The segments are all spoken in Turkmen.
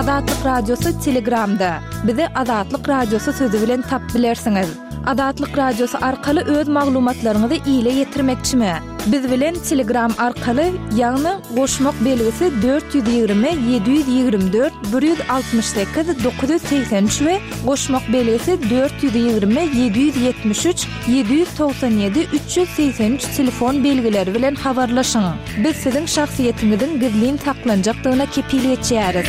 Azatlyk Radiosy Telegramda. Bizi Azatlyk Radiosy sözi bilen tap bilersiňiz. Azatlyk Radiosy arkaly öz maglumatlaryňyzy ile ýetirmekçimi? Biz bilen Telegram arkaly, ýagny goşmak belgisi 420 724 168 983 we goşmak belgisi 420 773 797 383 telefon belgileri bilen habarlaşyň. Biz siziň şahsyýetiňiziň gizlin saklanjakdygyna kepil geçýäris.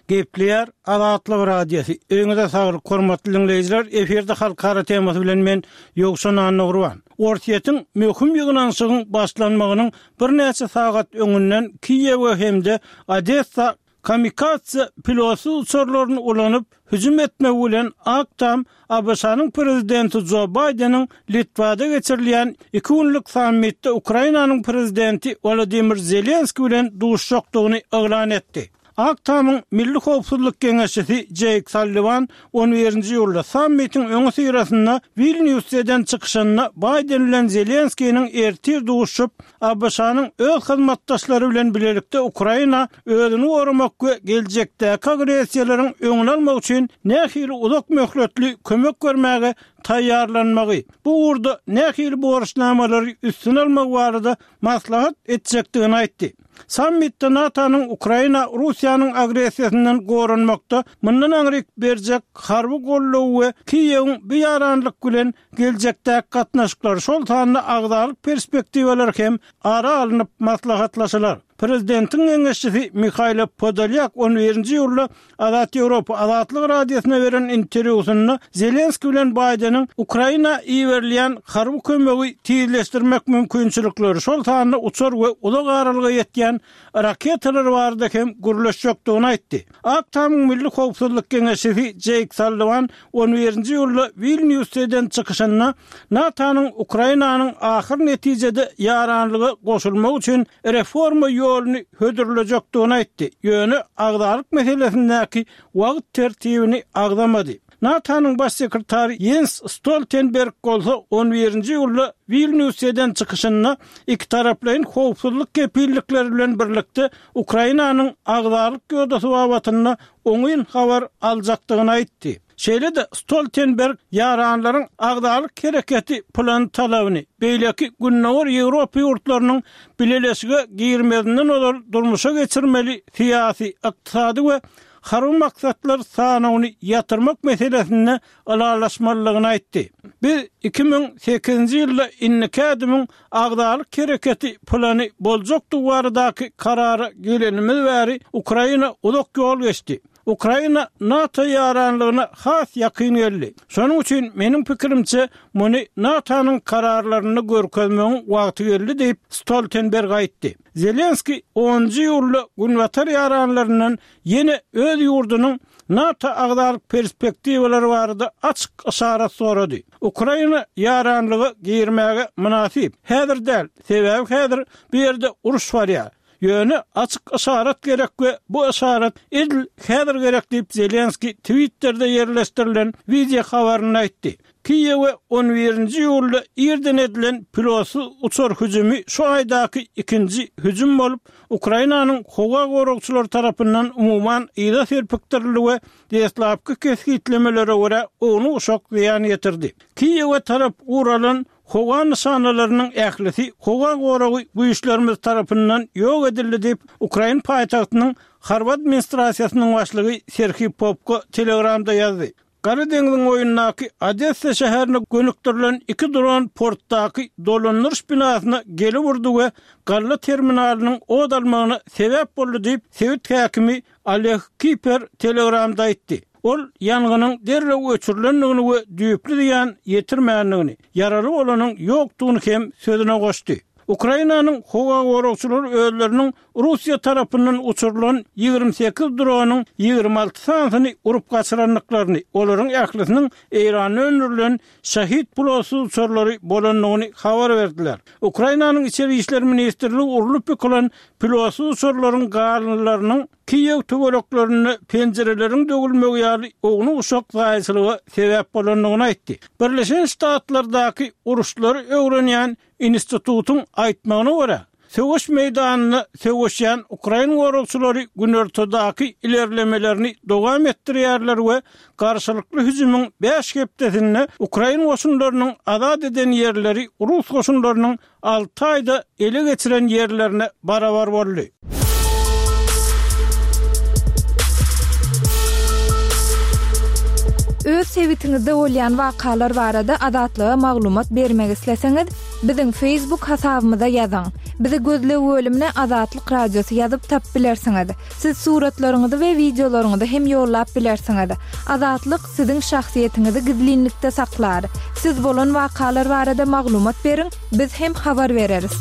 Gepleýär Azatlyk Radiosy. Öýüňize saglyk, hormatly diňleýjiler! Efirde Halkara temasy bilen men, Ýowşan Annagurban. Orsýetiň möhüm ýygnanyşygyň başlanmagynyň birnäçe sagat öňünden Kiýewe hem-de Odessa Kamikadze pilotsyz uçarlaryny ulanyp, hüjüm etmegi bilen Ak Tam ABŞ-nyň Prezidenti Jo Baýdeniň Litwada geçirilýän iki günlük sammitde Ukrainanyň Prezidenti Wolodymyr Zelenskiý bilen duşuşjakdygyny yglan etdi. Ak Tamyň Milli howpsuzlyk geňeşçisi Jeýk Salliwan on birinji iýulda sammitiň öňüsyrasynda Wilnýusda eden çykyşynda Baýden bilen Zelenskiniň ertir duşuşyp, ABŞ-nyň öz hyzmatdaşlary bilen bilelikde Ukraina özüni goramak we geljekdäki agressiýalaryň öňüni almak üçin nähili uzak möhletli kömek bermäge taýýarlanmagy, bu ugurda nähili borçnamalary üstüne almagy barada maslahat etjekdigini aýtdy. Sammitde NATO-nyň Ukraina Russiýanyň agressiýasyndan goranmakda mundan aňryk berjek harby goldawy we Kiýewiň bu ýaranlyk bilen geljekdäki gatnaşyklar, şol sanda agzalyk perspektiwalary hem ara alnyp maslahatlaşylar. Prezidentiň geňeşçisi Mihailo Podolýak on birinji iýulda Azat Ýewropa Azatlyk Radiosyna beren interwýusynda Zelenskiý bilen Baýdeniň Ukraina iberilýän harby kömegi tizleşdirmek mümkinçilikleri, şol sanda uçar we uzak aralyga ýetýän raketalar barada hem gürleşjekdigini aýtdy. Ak Tamyň Milli howpsuzlyk geňeşçisi Jeýk Salliwan on birinji iýulda Wilnýusda eden çykyşynda NATO-nyň Ukrainanyň ahyr netijede ýaranlyga goşulmagy üçin reforma ýoluny hödürlejekdigini aýtdy, ýöne agzalyk meselesindäki wagt tertibini agzamady. NATO-nyň Baş sekretary Ýens Stoltenberg bolsa on birinji iýulda Wilnýusda eden çykyşynda ikitaraplaýyn howpsuzlyk kepillikleri bilen birlikde Ukrainanyň agzalyk ýodasy babatynda oňyn habar aljakdygyny aýtdy. Şeýle-de Stoltenberg ýaranlaryň agzalyk hereketi plany talabyny, beýleki Gündogar Ýewropa ýurtlarynyň bileleşige girmezinden ozal durmuşa geçirmeli syýasy, ykdysady we harby maksatlar sanawyny ýatyrmak meselesinde ylalaşmalydygyny aýtdy. Biz 2008-nji ýylda indiki ädimiň agzalyk hereketi plany boljakdygy baradaky karara gelenimiz bäri Ukraina uzak ýol geçdi. Ukraina NATO ýaranlygyna has ýakyn geldi. Şonuň üçin, meniň pikirimçe, muny NATO-nyň kararlarynda görkezmegiň wagty geldi diýip, Stoltenberg aýtdy. Zelenskiý onunjy iýulda günbatar ýaranlaryndan ýene öz ýurdunyň NATO agzalyk perspektiwalary barada açyk yşarat sorady. Ukraina ýaranlyga girmäge mynasyp. Häzir däl, sebäbi häzir bu ýerde uruş barýar. Ýöne açyk yşarat gerek we bu yşarat edil häzir gerek diýip, Zelenskiý Twitterde ýerleşdirilen wideo habarynda aýtdy. Kiýewe on birinji iýulda irden edilen pilotsyz uçar hüjümi şu aýdaky ikinji hüjüm bolup, Ukrainanyň howa goragçylary tarapyndan umuman yza serpikdirildi we deslapky kesgitlemelere görä ownuk-uşak zyýan ýetirdi. Kiýewe tarap guralan howa nyşanalarynyň ählisi howa goragy güýçlerimiz tarapyndan ýok edildi diýip, ukrain paýtagtynyň harby administrasiýasynyň başlygy Serhiý Popko Telegramda ýazdy. Gara deňziň boýundaky Odessa şäherine gönükdirilen iki dron portdaky dolandyryş binasyna gelip urdy we galla terminalynyň ot almagyna sebäp boldy diýip, sebit häkimi Oleg Kiper Telegramda aýtdy. Ol ýangynyň derrew öçürilendigini we düýpli zyýan ýetirmändigini, ýaraly bolanyň ýokdugyny hem sözüne goşdy. Ukrainanyň howa goragçylary özleriniň Russiýa tarapyndan uçurylan 28 dronyň 26 sanysyny urup gaçyrandyklaryny, olaryň ählisiniň Eýranda öndürilen Şahid pilotsyz uçarlary bolandygyny habar berdiler. Ukrainanyň Içeri işler ministrligi urlup ýykylan pilotsyz uçarlaryň galyndylarynyň Kiýew töwereklerinde penjireleriň döwülmegi ýaly ownuk-uşak zaýaçylyga sebäp bolandygyny aýtdy. Birleşen Ştatlardaky uruşlary öwrenýän institutyň aýtmagyna görä, Söweş meýdanynda söweşýän ukrain goragçylary günortadaky ilerlemelerini dowam etdirýärler we garşylykly hüjümiň bäş hepdesinde ukrain goşunlarynyň azat eden ýerleri rus goşunlarynyň alty aýda ele geçiren ýerlerine barabar boldy. Öz sebitiňizde bolýan wakalar barada Azatlyga maglumat bermek isleseňiz, biziň Facebook hasabymyza ýazyň. Bizi gözleg bölümine Azatlyk Radiosy ýazyp tapyp bilersiňiz. Siz suratlaryňyzy we wideolaryňyzy hem ýollap bilersiňiz. Azatlyk siziň şahsyýetiňizi gizlinlikde saklar. Siz bolan wakalar barada maglumat beriň, biz hem habar bereris.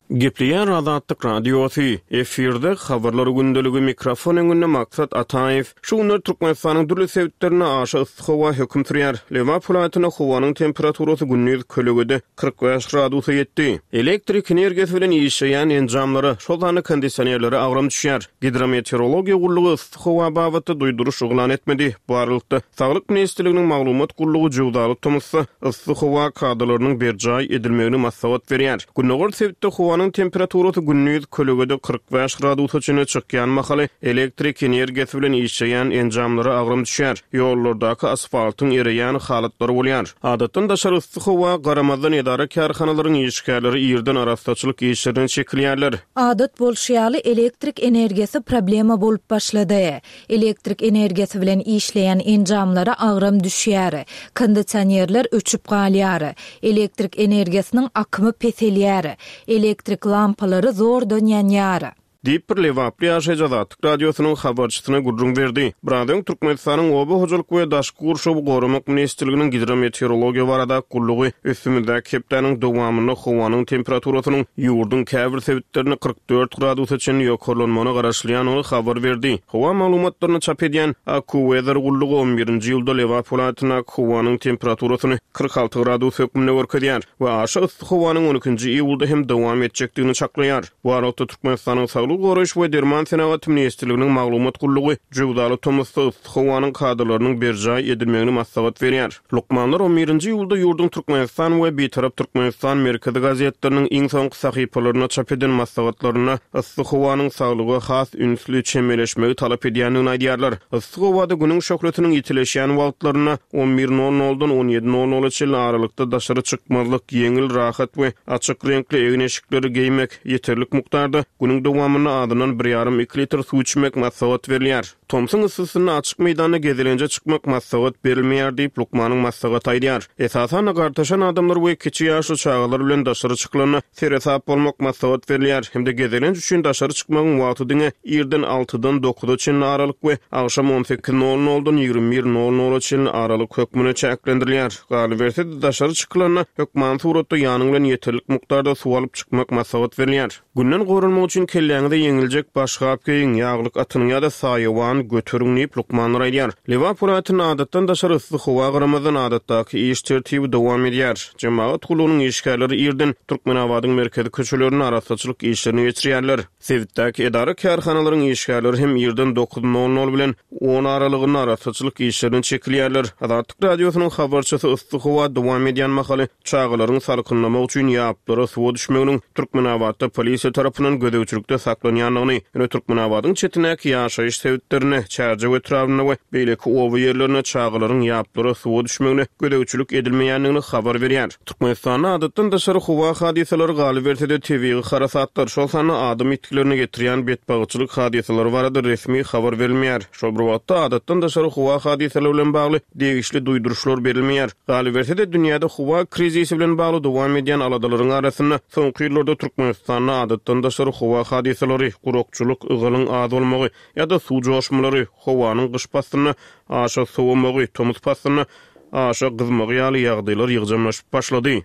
Gepleýär Azatlyk Radiosy, efirde Habarlar gündeligi, mikrofon öňünde Maksat Ataýew. Şu günler Türkmenistanyň dürli sebitlerinde aşa yssy howa höküm sürýär. Lebap welaýatynda howanyň temperaturasy gündiz kölegede 45 gradusa ýetdi. Elektrik energiýasy bilen işleýän enjamlara, şol sanda kondisionerlere agram düşýär. Gidrometeorologiýa gullugy yssy howa babatda duýduryş yglan etmedi. Bu aralykda, Saglyk ministrliginiň maglumat gullugy jöwzaly tomusda yssy howa kadalarynyň berjaý edilmegini maslahat berýär. Gündogar sebitde howanyň temperaturasy gündiz kölegede 45 gradusa çenli çykýan mahaly elektrik energiýasy bilen işleýän enjamlara agram düşýär, ýollardaky asfaltyň ereýän halatlary bolýar. Adatdan daşary yssy howa garamazdan edara-kärhanalaryň işgärleri irden arassaçylyk işlerine çekilýärler. Adat bolşy ýaly, elektrik energiýasy problema bolup başlady. Elektrik energiýasy bilen işleýän enjamlara agram düşýär, kondisionerler öçüp galýar, elektrik energiýasynyň akymy peselýär, elektrik lampalary zordan ýanýar. Diýip, bir lebaply ýaşaýjy Azatlyk Radiosynyň habarçysyna gürrüň berdi. Biraz öň Türkmenistanyň Oba hojalyk we daşky gurşawy goramak ministrliginiň Gidrometeorologiýa baradaky gullugy üstümizdäki hepdäniň dowamynda howanyň temperaturasynyň ýurduň käbir sebitlerinde 44 gradusa çenli ýokarlanmagyna garaşylýandygyny habar berdi. Howa maglumatlaryny çap edýän AccuWeather gullugy on birinji iýulda Lebap welaýatyndaky howanyň temperaturasyny 46 gradus hökmünde görkezýär we aşa yssy howanyň on ikinji iýulda hem dowam etjekdigini çaklaýar. Bu aralykda, Türkmenistanyň Saglygy goraýyş we derman senagaty ministrliginiň maglumat gullugy jöwzaly tomusda yssy howanyň kadalarynyň berjaý edilmegini maslahat berýär. Lukmanlar on birinji iýulda ýurduň Türkmenistan we Bitarap Türkmenistan merkezi gazetleriniň iň soňky sahypalarynda çap eden maslahatlarynda yssy howanyň saglyga has ünsli çemeleşmegi talap edýändigini aýdýarlar. Yssy howada günüň şöhlesiniň ýitileşýän wagtlarynda on bir nol noldan on ýedi nol nola çenli aralykda daşary çykmazlyk, ýeňil, rahat we açyk reňkli egin-eşikleri geýmek, ýeterlik mukdarda günüň dowamynda azyndan bir ýarym-iki litr suw içmek maslahat berilýär. Tomsuň yssysynda açyk meýdanda gezelenje çykmak maslahat berilmeýär diýip, lukmanyň maslahaty aýdýar. Esasan-da, gartaşan adamlar we kiçi ýaşly çagalar bilen daşary çykylanda seresap bolmak maslahat berilýär hem-de gezelenç üçin daşary çykmagyň wagty diňe irden altydan dokuza çenli aralyk we agşam on sekiz nol noldan 21 nol nola çenli aralyk hökmünde çäklendirilýär. Galyberse-de, daşary çykylanda hökmany suratda ýanyň bilen ýeterlik mukdarda suw alyp çykmak maslahat berilýär. Günden goranmak üçin kelläňize ýeňiljek başgap geýiň, ýaglyk atynyň ýa-da saýawan göteriň diýip, lukmanlar aýdýar. Lebap welaýatynda adatdan daşary yssy howa garamazdan, adatdaky iş tertibi dowam edýär. Jemagat gullugynyň işgärleri irden Türkmenabadyň merkezi köçelerinde arassaçylyk işlerini geçirýärler. Sebitdäki edara-kärhanalaryň işgärleri hem irden dokuz nol nol bilen on aralygynda arassaçylyk işlerine çekilýärler. Azatlyk Radiosynyň habarçysy yssy howa dowam edýän mahaly Çagalaryň salkynlamak üçin ýaplara suwa düşmeginiň Türkmenabatda polisiýa tarapyndan gözegçilikde saklanýandygyny, ýöne Türkmenabadyň çetindäki ýaşaýyş sebitlerinde, Çärjew etrabynda we beýleki oba ýerlerinde çagalaryň ýaplara suwa düşmegine gözegçilik edilmeýändigini habar berýär. Türkmenistanda adatdan daşary howa hadysalary, galyberse-de tebigy harasatlar, şol sanda adam ýitgilerine getirýän betbagtçylyk hadysalary barada resmi habar berilmeýär. Şol bir wagtda, adatdan daşary howa hadysalary bilen bagly degişli duýduryşlar berilmeýär. Galyberse-de, dünýäde howa krizisi bilen bagly dowam edýän aladalaryň arasynda, soňky ýyllarda Türkmenistanda adatdan daşary howa hadysalary, gurakçylyk, ygalyň az bolmagy ýa-da suw joşmalary, howanyň gyş paslynda aşa sowamagy, tomus paslynda aşa gyzmagy ýaly ýagdaýlar ýygjamlaşyp başlady.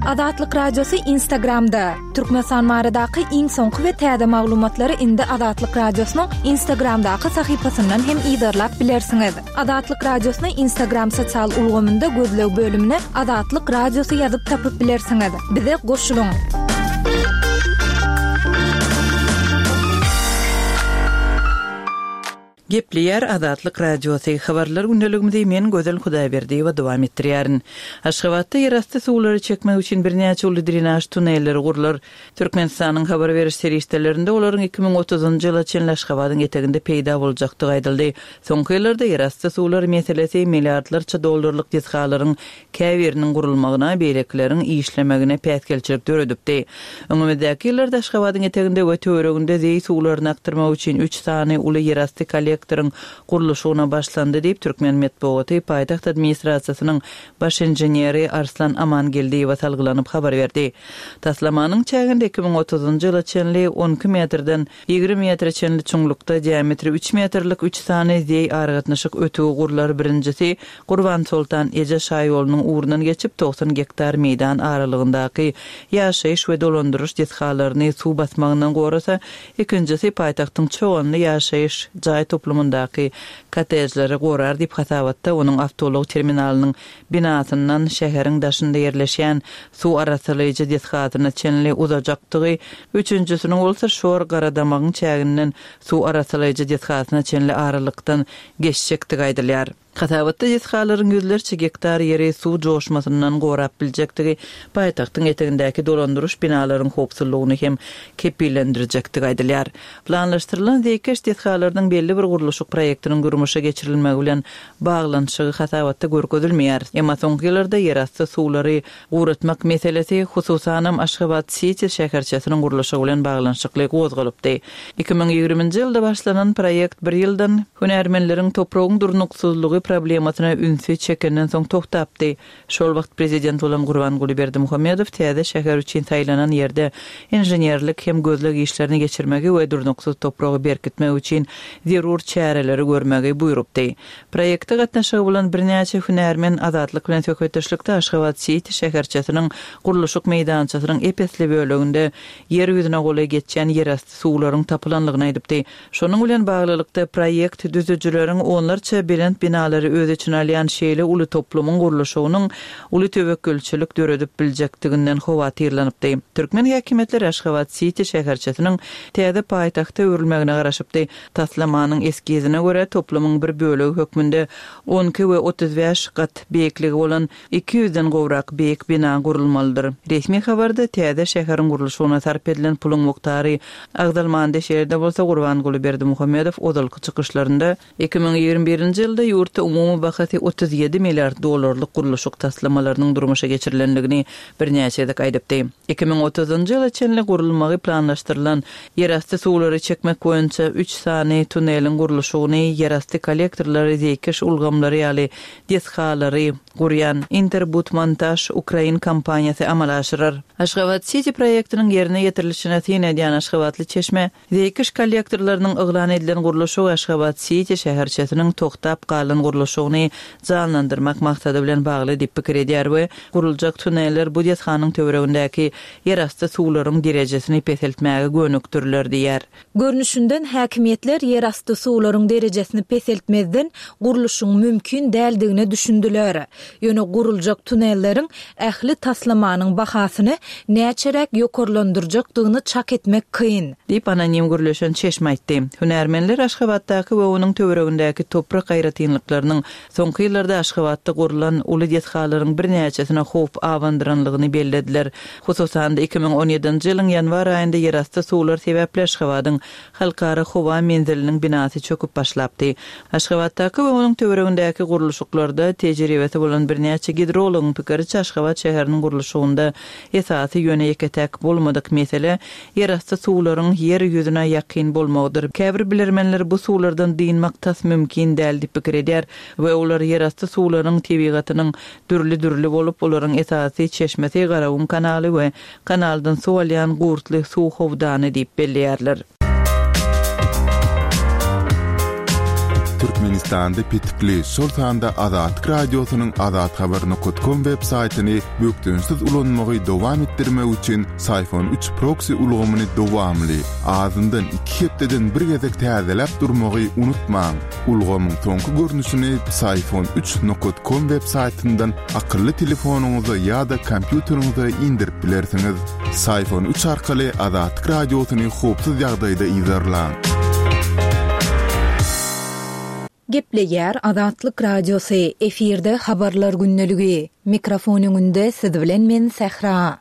Azatlyk Radiosy Instagramda, Türkmenistan baradaky iň soňky we täze maglumatlary indi Azatlyk Radiosynyň Instagramdaky sahypasyndan hem yzarlap bilersiňiz. Azatlyk Radiosyny Instagram sosial ulgamynda gözleg bölümine Azatlyk Radiosy ýazyp tapyp bilersiňiz. Bize goşulyň! Gepleýär Azatlyk Radiosy, Habarlar gündeligimizi men Gözel Hudaýberdiýewa dowam etdirýärin. Aşgabatda ýerasty suwlary çekmek üçin birnäçe uly drenaž tunelleri gurlar. Türkmenistanyň habar beriş serişdelerinde olaryň 2030-njy ýyla çenli Aşgabadyň eteginde peýda boljakdygy aýdyldy. Soňky ýyllarda ýerasty suwlar meselesi milliardlarça dollarlyk desgalaryň käbiriniň gurulmagyna, beýlekileriň işlemegine päsgelçilik döredipdi. Öňümizdäki ýyllarda Aşgabadyň eteginde we töwereginde zeý suwlaryny akdyrmak üçin üç sany uly ýerasty kollektoryň gurluşygyna başlandy diýip, türkmen metbugaty paýtagt administrasiýasynyň baş inženeri Arslan Amangeldiýewe salgylanyp habar berdi. Taslamanyň çäginde 2030-njy ýyla çenli 12 metrden 20 metre çenli çuňlukda diametri üç metrlik üç sany zeý aragatnaşyk ötügi gurlar, birinjisi Gurbansoltan eje şaýolunyň ugrundan geçip, 90 gektar meýdan aralygyndaky ýaşaýyş we dolandyryş desgalaryny suw basmagyndan gorasa, ikinjisi paýtagtyň Çoganly ýaşaýyş jaý toplumyndaky kottejleri gorar diýip, hasabatda onuň awtoulag terminalynyň binasyndan şäheriň daşynda ýerleşýän suw arassalaýjy desgasyna çenli uzajakdygy, üçünjisiniň bolsa Şor Garadamagyň çäginden suw arassalaýjy desgasyna çenli aralykdan geçjekdigi aýdylýar. Hasabatda desgalaryň ýüzlerçe gektar ýeri suw joşmasyndan gorap biljekdigi, paýtagtyň etegindäki dolandyryş binalaryň howpsuzlygyny hem kepillendirjekdigi aýdylýar. Planlaşdyrylan zeýkeş desgalarynyň belli bir gurluşyk proýektiniň durmuşa geçirilmegi bilen baglanyşygy hasabatda görkezilmeýär. Emma soňky ýyllarda ýerasty suwlary guratmak meselesi, hususanam, Aşgabat-siti şäherçesiniň gurluşygy bilen baglanyşykly gozgalypdy. 2020-nji ýylda başlanan proýekt bir ýyldan, hünärmenleriň topragyň durnuksyzlygy problemasyna ünsi çekenden soň togtapdy. Şol wagt prezident bolan Gurbanguly Berdimuhamedow täze şäher üçin saýlanan ýerde inženerlik hem gözleg işlerini geçirmegi we durnuksyz topragy berkitmek üçin zerur çäreleri görmegi buýrupdy. Proýekte gatnaşygy bolan birnäçe hünärmen Azatlyk bilen söhbetdeşlikde Aşgabat-siti şäherçesiniň gurluşyk meýdançasynyň ep-esli böleginde ýer ýüzüne golaý geçýän ýerasty suwlaryň tapylanlygyny aýdypdy. Şonuň bilen baglylykda, proýekt düzüjileriň onlarça belent binalary öz içine alýan şeýle uly toplumyň gurluşygynyň uly töwekgelçilik döredip biljekdiginden howatyrlanypdy. Türkmen häkimiýetleri Aşgabat-siti şäherçesiniň täze paýtagta öwrülmegine garaşypdy. Taslamanyň eskizine görä, toplumyň bir bölegi hökmünde 12 we 35 gat beýikligi bolan 200-den gowrak beýik bina gurulmalydyr. Resmi habarda täze şäheriň gurluşygyna sarp edilen puluň mukdary agzalmandy, şeýle-de bolsa Gurbanguly Berdimuhamedow ozalky çykyşlarynda 2021-nji ýylda ýurtda umumy bahasy 37 milliard dollarlyk gurluşyk taslamalarynyň durmuşa geçirilendigini birnäçe gezek aýdypdy. 2030-njy ýyla çenli gurulmagy planlaşdyrylan ýerasty suwlary çekmek boýunça üç sany tuneliň gurluşygyny, ýerasty kollektorlary, zeýkeş ulgamlary ýaly desgalary gurýan Interbudmontaž ukrain kompaniýasy amala aşyrar. Aşgabat-siti proýektiniň ýerine ýetirilişine syn edýän aşgabatly çeşme, zeýkeş kollektorlarynyň yglan edilen gurluşygy Aşgabat-siti şäherçesiniň togtap galan gurluşygyny janlandyrmak maksady bilen bagly diýip pikir edýär we guruljak tuneller bu desganyň töweregindäki ýerasty suwlaryň derejesini peseltmäge gönükdiriler diýýär. Görnüşinden, häkimiýetler ýerasty suwlaryň derejesini peseltmezden gurluşygyň mümkin däldigine düşündiler. Ýöne guruljak tunelleriň ähli taslamanyň bahasyny näçeräk ýokarlandyrjakdygyny çak etmek kyn. Diýip, anonim gürleşen çeşme aýtdy. Hünärmenler Aşgabatdaky we onuň töweregindäki toprak aýratynlyklarynyň soňky ýyllarda Aşgabatda gurlan uly desgalaryň birnäçesine howp abandyranlygyny bellediler. Hususan-da, 2017-nji ýylyň ýanwar aýynda ýerasty suwlar sebäpli Aşgabadyň Halkara howa menziliniň binasy çöküp başlapdy. Aşgabatdaky we onuň töweregindäki gurluşyklarda tejribesi bolan birnäçe gidrologyň pikiriçe, Aşgabat şäheriniň gurluşygynda esasy, ýöne ýeke-täk bolmadyk mesele ýerasty suwlaryň ýer ýüzüne ýakyn bolmagydyr. Käbir bilermenler bu suwlardan dynmak tas mümkin däl diýip pikir edýär we olar ýerasty suwlaryň tebigatynyň dürli-dürli bolup, olaryň esasy çeşmesi Garagum kanaly we kanaldan suw alýan Gurtly suw howdany diýip belleýärler. Türkmenistanda petikli, şol sanda Azatlyk Radiosynyň azathabar nokat kom web saýtyny bökdençsiz ulanmagy dowam etdirmek üçin Syfon üç proksi ulgamyny dowamly, azyndan iki hepdeden bir gezek täzeläp durmagy unutmaň. Ulgamyň soňky görnüşini Psiphon üç nokat kom web saýtyndan akylly telefonyňyza ýa-da kompýuteriňize indirip bilersiňiz. Psiphon üç arkaly Azatlyk Radiosyny howpsuz ýagdaýda yzarlaň. Gepleýär Azatlyk Radiosy, efirde Habarlar gündeligi. Mikrofon öňünde siz bilen men Sähra.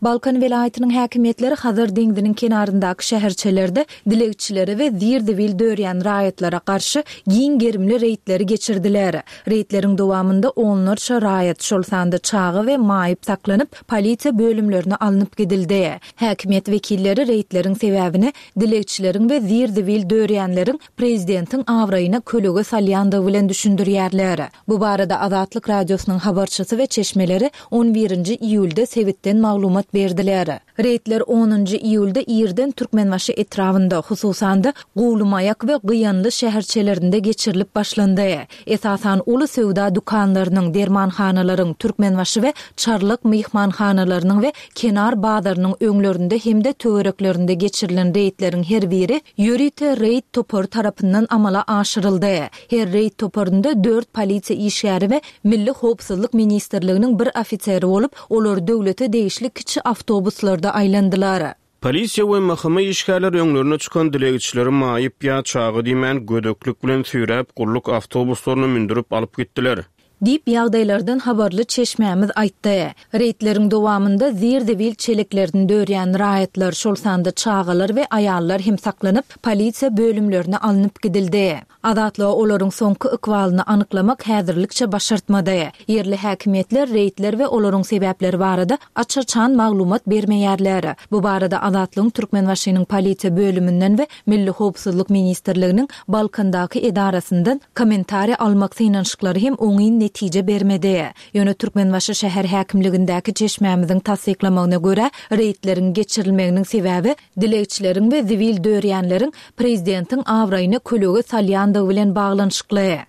Balkan welaýatynyň häkimiýetleri Hazar deňziniň kenaryndaky şäherçelerde dilegçilere we zir-zibil dörýän raýatlara garşy giň gerimli reýdleri geçirdiler. Reýdleriň dowamynda onlarça raýat, şol sanda çaga we maýyp saklanyp, polisiýa bölümlerine alnyp gidildi. Häkimiýet wekilleri reýdleriň sebäbini dilegçileriň we zir-zibil dörýänleriň prezidentiň abraýyna kölege salýandygy bilen düşündirýärler. Bu barada Azatlyk Radiosynyň habarçysy we çeşmeleri on birinji iýulda sebitden maglumat berdiler. Reýdler onunjy iýulda irden Türkmenbaşy etrabynda, hususan-da, Guwlymaýak we Gyýanly şäherçelerinde geçirilip başlandy. Esasan, uly söwda dükanlarynyň, dermanhanalaryň, Türkmenbaşy we Çarlak myhmanhanalarynyň we Kenar bazarynyň öňlerinde hem-de töwereklerinde geçirilen reýdleriň her biri ýörite reýd topary tarapyndan amala aşyryldy. Her reýd toparynda dört polisiýa işgäri we Milli howpsuzlyk ministrliginiň bir ofiseri bolup, olar döwlete degişli kiçi awtobuslarda aýlandylar. Polisiýa we MHM işgärleri öňlerine çykan dilegçileri maýyp ýa çaga diýmän gödeklik bilen süýräp, gulluk awtobuslaryna mündürip alyp gitdiler. Diýip, ýagdaýlardan habarly çeşmämiz aýtdy. Reýdleriň dowamynda zir-zibil çeleklerini dörýän raýatlar, şol sanda çagalar we aýallar hem saklanyp, polisiýa bölümlerine alnyp gidildi. Azatlyga olaryň soňky ykbalyny anyklamak häzirlikçe başartmady. Ýerli häkimiýetler reýdler we olaryň sebäpleri barada aç-açan maglumat bermeýärler. Bu barada Azatlygyň Türkmenbaşynyň polisiýa bölüminden we Milli howpsuzlyk ministrliginiň Balkandaky edarasyndan kommentariý almak synanyşyklary hem oňyn netije bermedi. Ýöne Türkmenbaşy şäher häkimligindäki çeşmämiziň tassyklamagyna görä, reýdleriň geçirilmeginiň sebäbi dilegçileriň we zibil dörýänleriň prezidentiň abraýyna kölege salýandygy bilen baglanyşykly.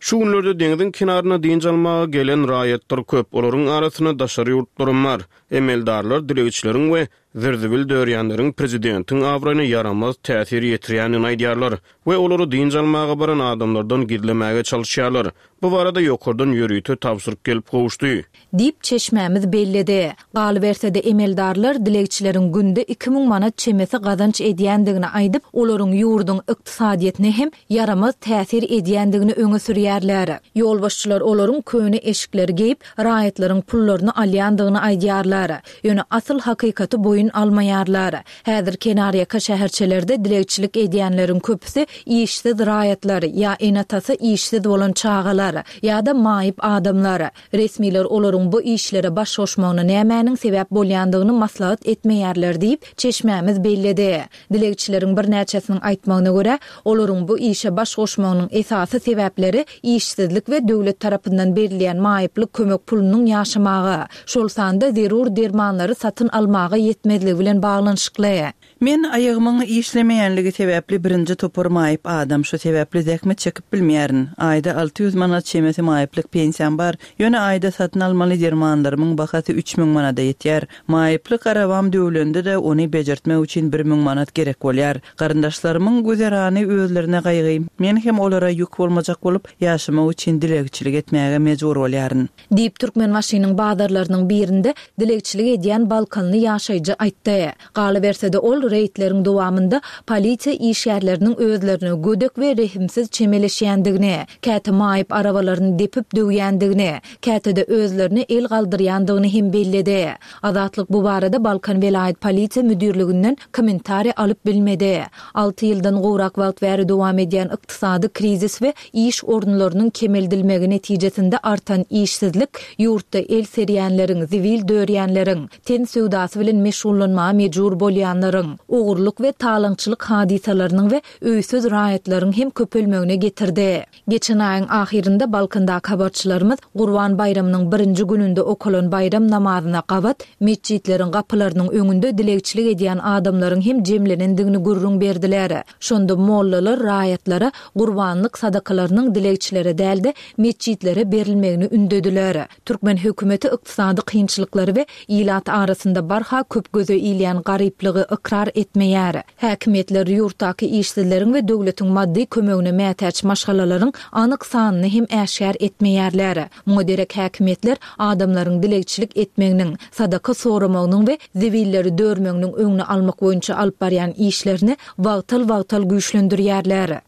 Şu günlerde deňziň kenaryna dynç almaga gelen raýatlar köp, olaryň arasynda daşary ýurtlaram bar. Emeldarlar dilegçileriň we zir-zibil dörýänleriň prezidentiň abraýyna ýaramaz täsir ýetirýändigini aýdýarlar we olary dynç almaga baran adamlardan gizlemäge çalyşýarlar. Bu barada ýokardan ýörite tabşyryk gelip gowuşdy. Diýip, çeşmämiz belledi. Galyberse-de, emeldarlar dilegçileriň günde 2000 manat çemesi gazanç edýändigini aýdyp, olaryň ýurduň ykdysadyýetine hem ýaramaz täsir edýändigini öňe sürýärler. Ýolbaşçylar olaryň köne eşikleri geýip, raýatlaryň pullaryny alýandygyny aýdýarlar. Ýöne asyl hakykaty boýun almaýarlar. Häzir kenarýaka şäherçelerde dilegçilik edýänleriň köpüsi işsiz raýatlar, ýa ene-atasy işsiz bolan çagalar, ýa-da maýyp adamlar. Resmiler olaryň bu işlere baş goşmagyna nämäniň sebäp bolýandygyny maslahat etmeýärler diýip, çeşmämiz belledi. Dilegçileriň birnäçesiniň aýtmagyna görä, olaryň bu işe baş goşmagynyň esasy sebäpleri işsizlik we döwlet tarapyndan berilýän maýyplyk kömek pulunyň ýaşamaga, şol sanda zerur dermanlary satyn almaga ýetmezligi bilen baglanyşykly. Men aýagymyň işlemeýänligi sebäpli birinji topar maýyp adam, şu sebäpli zähmet çekip bilmeýärin. Aýda 600 manat çemesi maýyplyk pensiýam bar, ýöne aýda satyn almaly dermanlarymyň bahasy 3000 manada ýetýär. Maýyplyk arabam döwlende-de, ony bejertmek üçin 1000 manat gerek bolýar. Garyndaşlarymyň güzerany özlerine gaýgy, men hem olara ýük bolmajak bolup, ýaşamak üçin dilegçilik etmäge mejbur bolýaryn. Diýip, Türkmenbaşynyň bazarlarynyň birinde dilegçilik edýän balkanly ýaşaýjy aýtdy. Galyberse-de, ol reýdleriň dowamynda polisiýa işgärleriniň özlerine gödek we rehimsiz çemeleşýändigini, käte maýyp arabalaryny depip döwýändigini, käte-de özlerine el galdyrýandygyny hem belledi. Azatlyk bu barada Balkan welaýat polisiýa müdirliginden kommentariý alyp bilmedi. Alty ýyldan gowrak wagt bäri dowam edýän ykdysady krizis we iş orunlarynyň kemeldilmegi netijesinde artan işsizlik ýurtda el serýänleriň, zibil dörýänleriň, ten söwdasy bilen meşgullanmaga mejbur bolýanlaryň, ogurlyk we talaňçylyk hadysalarynyň we öýsüz raýatlaryň hem köpelmegine getirdi. Geçen aýyň ahyrynda Balkandaky habarçylarymyz Gurban baýramynyň birinji gününde okalan baýram namazyna gabat metjitleriň gapylarynyň öňünde dilegçilik edýän adamlaryň hem jemlenendigini gürrüň berdiler. Şonda mollalar raýatlara gurbanlyk sadakalarynyň dilegçilere däl-de, metjitlere berilmegini ündediler. Türkmen hökümeti ykdysady kynçylyklary we ilat arasynda barha köp göze ilýän garyplygy ykrar etmeýär. Häkimiýetler ýurtdaky işsizleriň we döwletiň maddy kömegine mätäç maşgalalaryň anyk sanyny hem äşgär etmeýärler. Muňa derek häkimiýetler adamlaryň dilegçilik etmeginiň, sadaka soramagynyň we zibilleri dörmeginiň öňüni almak boýunça alyp barýan işlerini wagtal-wagtal güýçlendirýärler.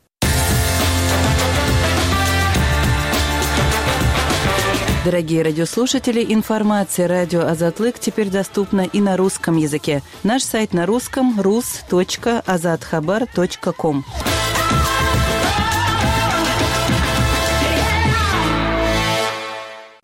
Дорогие радиослушатели, информация радио Азатлык теперь доступна и на русском языке. Наш сайт на русском rus.azathabar.com.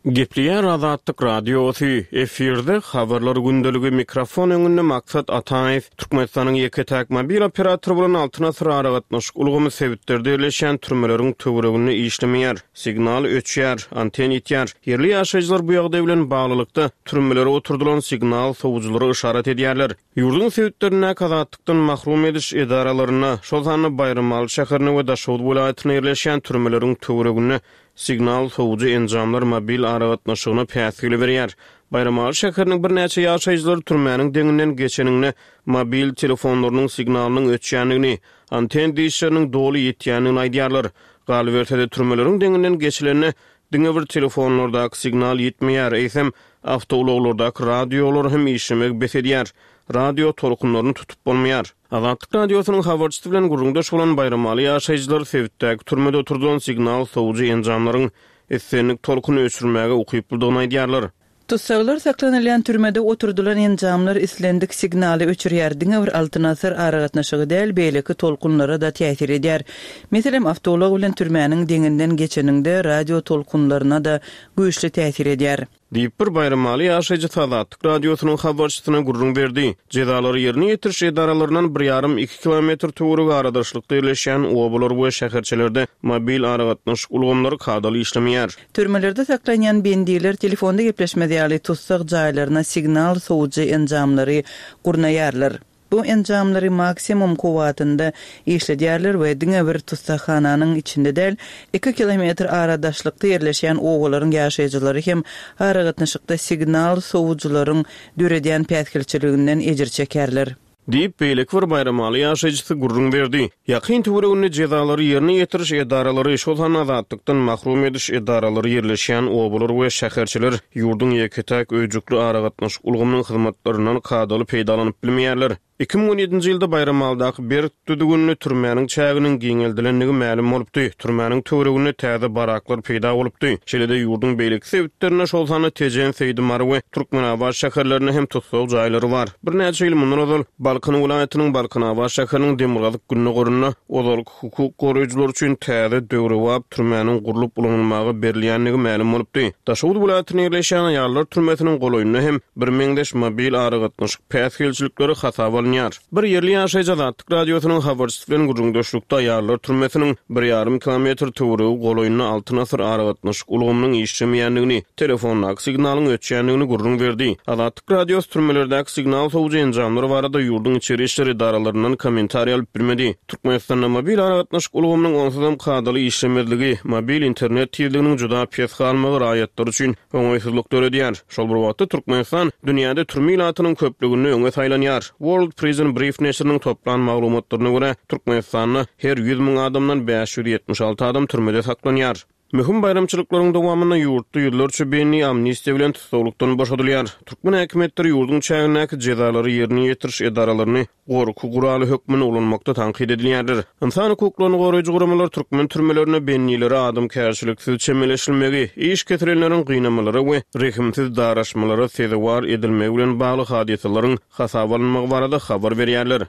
Gepleýär Azatlyk Radiosy, efirde Habarlar gündeligi, mikrofon öňünde Maksat Ataýew. Türkmenistanyň ýeke-täk mobil operatory bolan Altyn Asyr aragatnaşyk ulgamy sebitlerde ýerleşýän türmeleriň töwereginde işlemeýär. Signal öçýär, anten ýitýär. Ýerli ýaşaýjylar bu ýagdaý bilen baglylykda, türmelere oturdylan signal sowujylara yşarat edýärler. Ýurduň sebitlerindäki azatlykdan mahrum ediş edaralarynda, şol sanda Baýramaly şäherinde we Daşoguz welaýatynda ýerleşýän türmeleriň töwereginde signal sowujy enjamlar mobil aragatnaşygyna päsgel berýär. Baýramaly şäheriniň birnäçe ýaşaýjylary türmäniň deňinden geçeninde mobil telefonlarynyň signalynyň öçýändigini, anten dişleriniň doly ýitýändigini aýdýarlar. Galyberse-de, türmeleriň deňinden geçilende, diňe bir telefonlardaky signal ýitmeýär, eýsem, awtoulaglardaky radiolar hem işlemegi bes edýär. Radio tolkunlaryny tutup bolmaýar. Azatlyk Radiosynyň habarçysy bilen gürrüňdeş bolan baýramaly ýaşaýjylar sebitdäki türmede oturdylan signal sowujy enjamlaryň islendik tolkuny öçürmäge ukyplydygyny aýdýarlar. Tussaglar saklanylýan türmede oturdylan enjamlar islendik signaly öçürýär, diňe bir Altyn Asyr aragatnaşygy däl, beýleki tolkunlara-da täsir edýär. Meselem, awtoulag bilen türmäniň deňinden geçeniňde radio tolkunlaryna-da güýçli täsir edýär. Diýip, bir baýramaly ýaşaýjysy Azatlyk Radiosynyň habarçysyna gürrüň berdi. Jezalary ýerine ýetiriş edaralaryndan bir ýarym-iki kilometr töweregi aradaşlykda ýerleşýän obalar we şäherçelerde mobil aragatnaşyk ulgamlary kadaly işlemeýär. Türmelerde saklanýan bendiler telefonda gepleşmez ýaly tussag jaýlaryna signal sowujy enjamlary gurnaýarlar. Bu enjamlary maksimum kuwwatynda işledýärler we diňe bir tussaghananyň içinde däl, iki kilometr ara daşlykda ýerleşýän obalaryň ýaşaýjylary hem aragatnaşykda signal sowujylaryň döredýän päsgelçiliginden ejir çekerler. Diýip, beýleki bir baýramaly ýaşaýjysy gürrüň berdi. Ýakyn töwereginde jezalary ýerine ýetiriş edaralary, şol sanda azatlykdan mahrum ediş edaralary ýerleşýän obalar we şäherçeler ýurduň ýeke-täk öýjükli aragatnaşyk ulgamynyň hyzmatlaryndan kadaly peýdalanyp bilmeýärler. 2017-nji ýylda Baýramalydaky berk düzgünli türmäniň çäginiň giňeldilendigi mälim bolupdy, türmäniň töwereginde täze baraklar peýda bolupdy. Şeýle-de ýurduň beýleki sebitlerinde, şol sanda Tejen, Seýdi, Mary we Türkmenabat şäherlerinde hem tussag jaýlary bar. Birnäçe ýyl mundan ozal, Balkan welaýatynyň Balkanabat şäheriniň demirgazyk-gündogarynda ozalky hukuk goraýjylar üçin täze, döwrebap türmäniň gurlup ulanylmaga berilýändigi mälim bolupdy. Daşoguz welaýatynda ýerleşýän aýallar türmesiniň golaýynda hem birmeňzeş mobil aragatnaşyk päsgelçilikleri hasaba alynýar. Bir ýerli ýaşaýjy Azatlyk Radiosynyň habarçysy bilen gürrüňdeşlikde aýallar türmesiniň bir ýarym kilometr töweregi golaýynda Altyn asyr aragatnaşyk ulgamynyň işlemeýändigini, telefondaky signalyň öçýändigini gürrüň berdi. Azatlyk Radiosy türmelerdäki signal sowujy enjamlar barada ýurduň içeri işler edaralaryndan kommentariý alyp bilmedi. Türkmenistanda mobil aragatnaşyk ulgamynyň onsuzam kadaly işlemezligi, mobil internet tizliginiň juda pes galmagy raýatlar üçin oňaýsyzlyk döredýär. Şol bir wagtda, Türkmenistan dünýäde türme ilatynyň köplüginde öňe saýlanýar. World Prison Brief neşiriniň toplan maglumatlaryna görä, Türkmenistanda her 100 müň adamdan 576 adam türmede saklanýar. Möhüm baýramçylyklaryň dowamynda ýurtda ýüzlerçe bendi amnistiýa bilen tussaglykdan boşadylýar. Türkmen häkimiýetleri ýurduň çägindäki jezalary ýerine ýetiriş edaralaryny gorky guraly hökmünde ulanmakda tankyt edilýärler. Ynsan hukuklaryny goraýjy guramalar türkmen türmelerinde bendilere adamkärçiliksiz çemeleşilmegi, iş kesilenleriň gynamalara we rehimsiz daraşmalara sezewar edilmegi bilen bagly hadysalaryň hasaba alynmagy barada habar berýärler.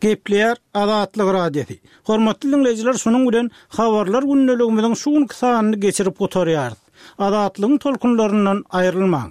Gepleýär Azatlyk Radiosy. Hormatly diňleýjiler şunuň bilen Habarlar gündeligimiziň şu günki sanyny geçirip gutarýarys. Azatlygyň tolkunlaryndan aýrylmaň.